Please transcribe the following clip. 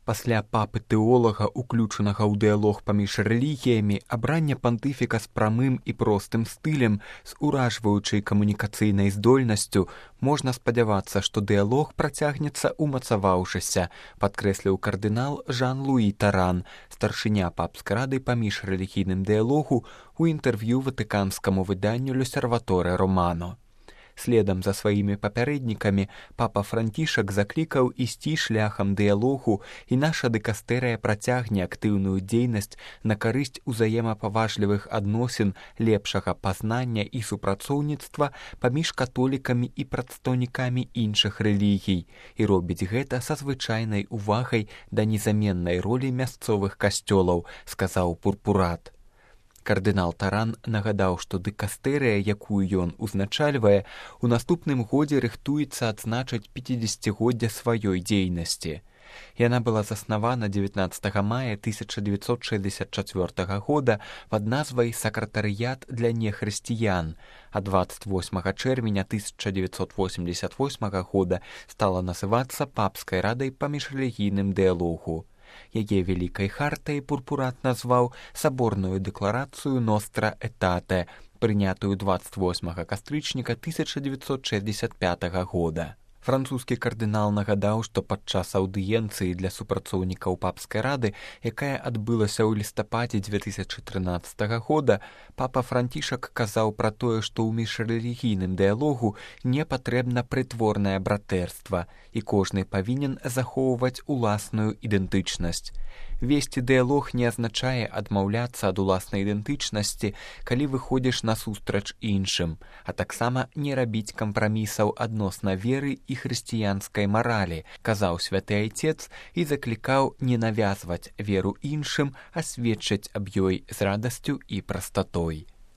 Пасля папы-тэолага, уключанага ў дыялог паміж рэлігіямі, абранне пантыфіка з прамым і простым стылем, з уражваючай камунікацыйнай здольнасцю, можна спадзявацца, што дыялог працягнецца умацаваўшыся, падкрэсліў кардынал Жан-Луі Таран, старшыня папскай рады па міжрэлігійным дыялогу, у інтэрв'ю ватыканскаму выданню «L'Osservatore Romano». Следам за сваімі папярэднікамі папа Францішак заклікаў ісці шляхам дыялогу, і наша дыкастэрыя працягне актыўную дзейнасць на карысць узаемапаважлівых адносін, лепшага пазнання і супрацоўніцтва паміж католікамі і прадстаўнікамі іншых рэлігій, і робіць гэта са звычайнай увагай да незаменнай ролі мясцовых касцёлаў, сказаў пурпурат. Кардынал Таран нагадаў, што дыкастэрыя, якую ён узначальвае, у наступным годзе рыхтуецца адзначыць 50-годдзе сваёй дзейнасці. Яна была заснавана 19 мая 1964 года пад назвай «Сакратарыят для нехрысціян», а 28 чэрвеня 1988 года стала называцца Папскай радай па міжрэлігійным дыялогу. Яе вялікай хартай пурпурат назваў саборную дэкларацыю «Ностра Этате», прынятую 28 кастрычніка 1965 года. Французскі кардынал нагадаў, што падчас аўдыенцыі для супрацоўнікаў папскай рады, якая адбылася ў лістападзе 2013 года, папа Францішак казаў пра тое, што ў міжрэлігійным дыялогу не патрэбна прытворнае братэрства, і кожны павінен захоўваць уласную ідэнтычнасць. Весці дыялог не азначае адмаўляцца ад уласнай ідэнтычнасці, калі выходзіш насустрач іншым, а таксама не рабіць кампрамісаў адносна веры і хрысціянскай маралі, казаў святы айцец і заклікаў не навязваць веру іншым, а сведчыць аб ёй з радасцю і прастатой.